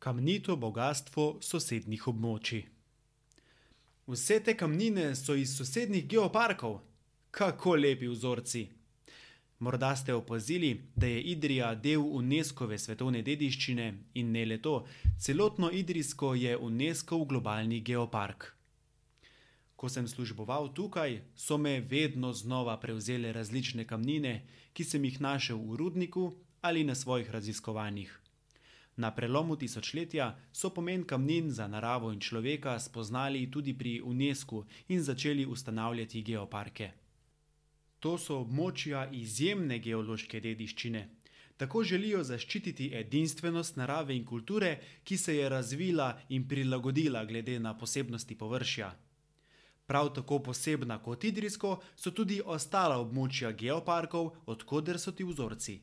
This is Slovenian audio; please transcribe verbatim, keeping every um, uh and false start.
Kamnito bogastvo sosednjih območij. Vse te kamnine so iz sosednjih geoparkov. Kako lepi vzorci! Morda ste opazili, da je Idrija del Unescove svetovne dediščine in ne le to, celotno Idrijsko je Unescov globalni geopark. Ko sem služboval tukaj, so me vedno znova prevzele različne kamnine, ki sem jih našel v rudniku ali na svojih raziskovanjih. Na prelomu tisočletja so pomen kamnin za naravo in človeka spoznali tudi pri Unescu in začeli ustanavljati geoparke. To so območja izjemne geološke dediščine. Tako želijo zaščititi edinstvenost narave in kulture, ki se je razvila in prilagodila glede na posebnosti površja. Prav tako posebna kot Idrijsko so tudi ostala območja geoparkov, od koder so ti vzorci.